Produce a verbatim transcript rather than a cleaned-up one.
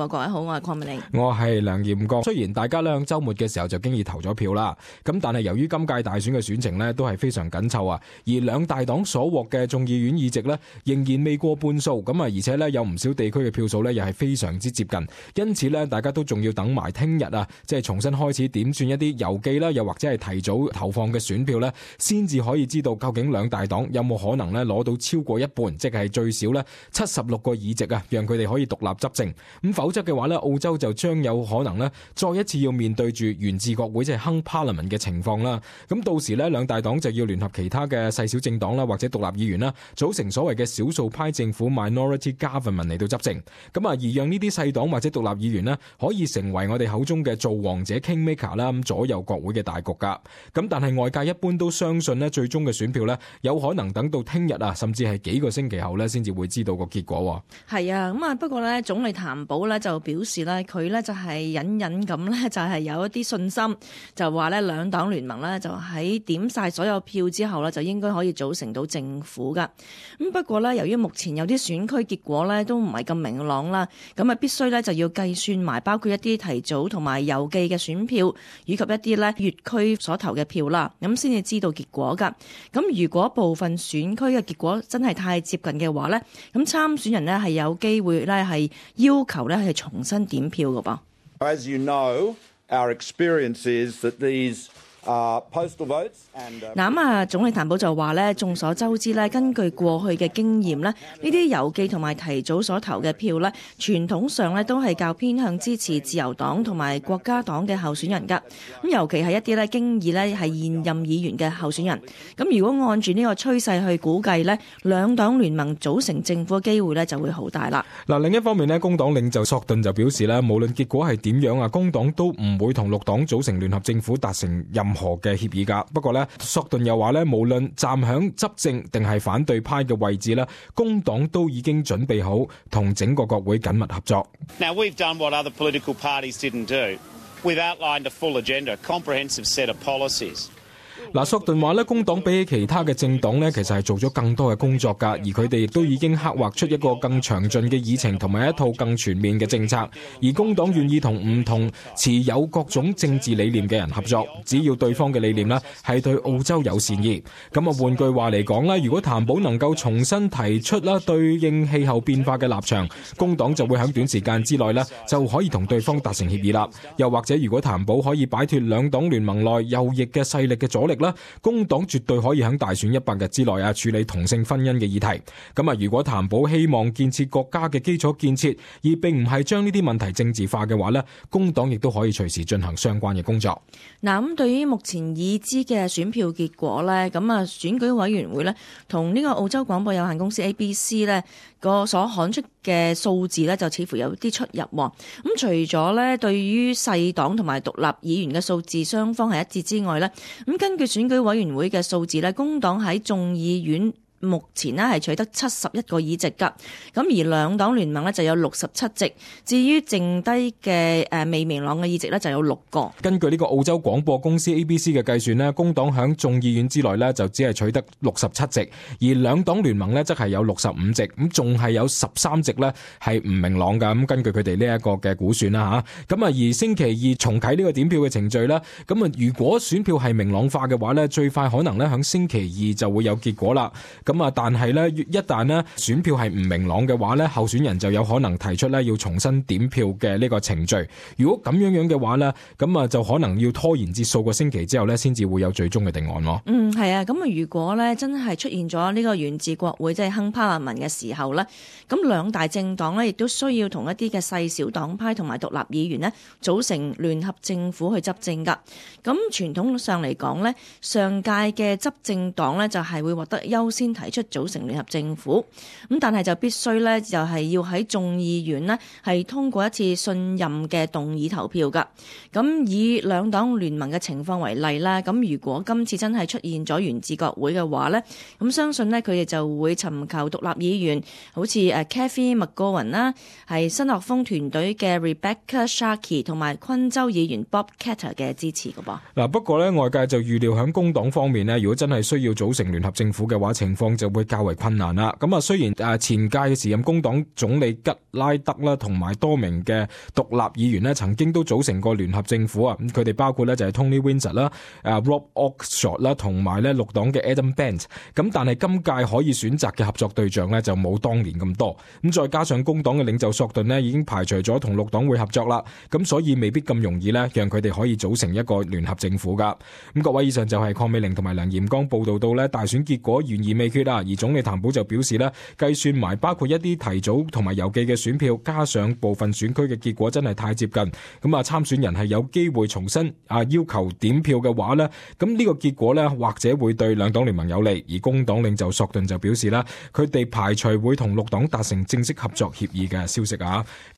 各位好，我係鄺美玲，我係梁炎國。雖然大家咧喺週末嘅時候就經已投咗票啦，咁但係由於今屆大選嘅選情呢都係非常緊湊啊，而兩大黨所獲嘅眾議院議席呢仍然未過半數，咁啊而且呢有唔少地區嘅票數呢又係非常之接近，因此呢大家都仲要等埋聽日啊，即係重新開始點算一啲郵寄啦，又或者係提早投放嘅選票呢，先至可以知道究竟兩大黨有冇可能呢攞到超過一半，即係最少呢七十六個議席啊，讓佢哋可以獨立執政。咁否則嘅話咧，澳洲就將有可能咧，再一次要面對住懸置國會即係 Hung Parliament 嘅情況啦。咁到時咧，兩大黨就要聯合其他嘅細小政黨啦，或者獨立議員啦，組成所謂嘅少數派政府 （Minority Government） 嚟到執政。咁啊，而讓呢啲細黨或者獨立議員咧，可以成為我哋口中嘅造王者 （Kingmaker） 啦，咁左右國會嘅大局噶。咁但係外界一般都相信咧，最終嘅選票咧，有可能等到聽日啊，甚至係幾個星期後咧，先至會知道個結果。係啊，咁啊，不過咧，總理譚寶咧就表示咧，佢咧就係隱隱咁咧，就係有一啲信心，就話咧兩黨聯盟咧就喺點晒所有票之後咧，就應該可以組成到政府噶。咁不過咧，由於目前有啲選區結果咧都唔係咁明朗啦，咁啊必須咧就要計算埋包括一啲提早同埋郵寄嘅選票，以及一啲咧粵區所投嘅票啦，咁先至知道結果噶。咁如果部分選區嘅結果真係太接近嘅話咧，咁參選人咧係有機會咧係要求咧係重新點票嘅噃。As you know, our experience is that these uh, postal votes and 嗱咁啊，總理譚寶就話咧，眾所周知咧，根據過去嘅經驗咧，呢啲郵寄同埋提早所投嘅票咧，傳統上咧都係較偏向支持自由黨同埋國家黨嘅候選人噶。咁尤其係一啲咧經已咧係現任議員嘅候選人。咁如果按住呢個趨勢去估計咧，兩黨聯盟組成政府嘅機會咧就會好大啦。嗱，另一方面咧，工黨領袖索頓就表示咧，無論結果係點樣啊，工黨都唔會同綠黨組成聯合政府達成任何嘅協議噶。不過咧，索頓又話咧，無論站響執政定係反對派嘅位置咧，工黨都已經準備好同整個國會緊密合作。Now we've done what other political parties didn't do. We've outlined a full agenda, a comprehensive set of policies. 嗱，索頓話咧，工黨比起其他嘅政黨咧，其實係做咗更多嘅工作㗎，而佢哋亦都已經刻畫出一個更詳盡嘅議程同埋一套更全面嘅政策。而工黨願意同唔同持有各種政治理念嘅人合作，只要對方嘅理念咧係對澳洲有善意。咁啊，換句話嚟講啦，如果譚寶能夠重新提出啦對應氣候變化嘅立場，工黨就會喺短時間之內咧就可以同對方達成協議啦。又或者如果譚寶可以擺脫兩黨聯盟內右翼嘅勢力嘅阻力，工黨絕對可以喺大選一百日之內啊處理同性婚姻嘅議題。咁啊，如果譚寶希望建設國家嘅基礎建設，而並唔係將呢啲問題政治化嘅話呢，工黨亦都可以隨時進行相關嘅工作。嗱，咁對於目前已知嘅選票結果呢，咁啊選舉委員會呢同呢個澳洲廣播有限公司 A B C 呢個所刊出嘅數字呢，就似乎有啲出入。咁除咗呢對於細黨同埋獨立議員嘅數字雙方係一致之外呢，咁根據選舉委員會嘅數字呢，工黨喺眾議院目前呢係取得七十一個議席㗎，咁而兩黨聯盟呢就有六十七席，至於剩低嘅誒未明朗嘅議席呢就有六個。根據呢個澳洲廣播公司 A B C 嘅計算呢，工黨響眾議院之內呢就只係取得六十七席，而兩黨聯盟呢則係有六十五席，咁仲係有十三席呢係唔明朗㗎。咁根據佢哋呢一個嘅估算啦嚇，咁啊而星期二重啟呢個點票嘅程序啦，咁啊如果選票係明朗化嘅話呢，最快可能呢響星期二就會有結果啦。咁啊，但係咧，一旦咧選票係唔明朗嘅話咧，候選人就有可能提出咧要重新點票嘅呢個程序。如果咁樣樣嘅話咧，咁啊就可能要拖延至數個星期之後咧，先至會有最終嘅定案咯。嗯，係啊，咁啊，如果咧真係出現咗呢個懸置國會即係 Hung Parliament嘅時候咧，咁兩大政黨咧亦都需要同一啲嘅細小黨派同埋獨立議員咧組成聯合政府去執政噶。咁傳統上嚟講咧，上屆嘅執政黨咧就係會獲得優先提出組成聯合政府，咁但係就必須咧就係要喺眾議院呢係通過一次信任嘅動議投票噶。咁以兩黨聯盟嘅情況為例啦，咁如果今次真係出現咗懸置國會嘅話呢，咁相信呢，佢哋就會尋求獨立議員，好似誒 Cathy McGowan 啦，係新學風團隊嘅 Rebecca Sharkey 同埋昆州議員 Bob Katter 嘅支持噶噃。嗱，不過呢，外界就預料喺工黨方面呢，如果真係需要組成聯合政府嘅話，情況況就會較為困難啦。咁啊，雖然誒前屆嘅時任工黨總理吉拉德啦，同埋多名嘅獨立議員呢曾經都組成過聯合政府啊。咁佢哋包括呢就係 Tony Windsor 啦、誒 Rob Oxshott 啦，同埋咧綠黨嘅 Adam Bandt。咁但係今屆可以選擇嘅合作對象呢就冇當年咁多。咁再加上工黨嘅領袖索頓呢已經排除咗同綠黨會合作啦，咁所以未必咁容易呢讓佢哋可以組成一個聯合政府噶。咁各位，以上就係鄺美玲同埋梁炎剛報道到呢大選結果懸而未決啊，而總理譚寶就表示呢計算埋包括一啲提早同埋郵寄嘅選票，加上部分選區嘅結果真係太接近，咁啊參選人係有機會重新啊要求點票嘅話呢，咁呢個結果呢或者會對兩黨聯盟有利。而工黨領袖索頓就表示啦，佢哋排除會同綠黨達成正式合作協議嘅消息啊。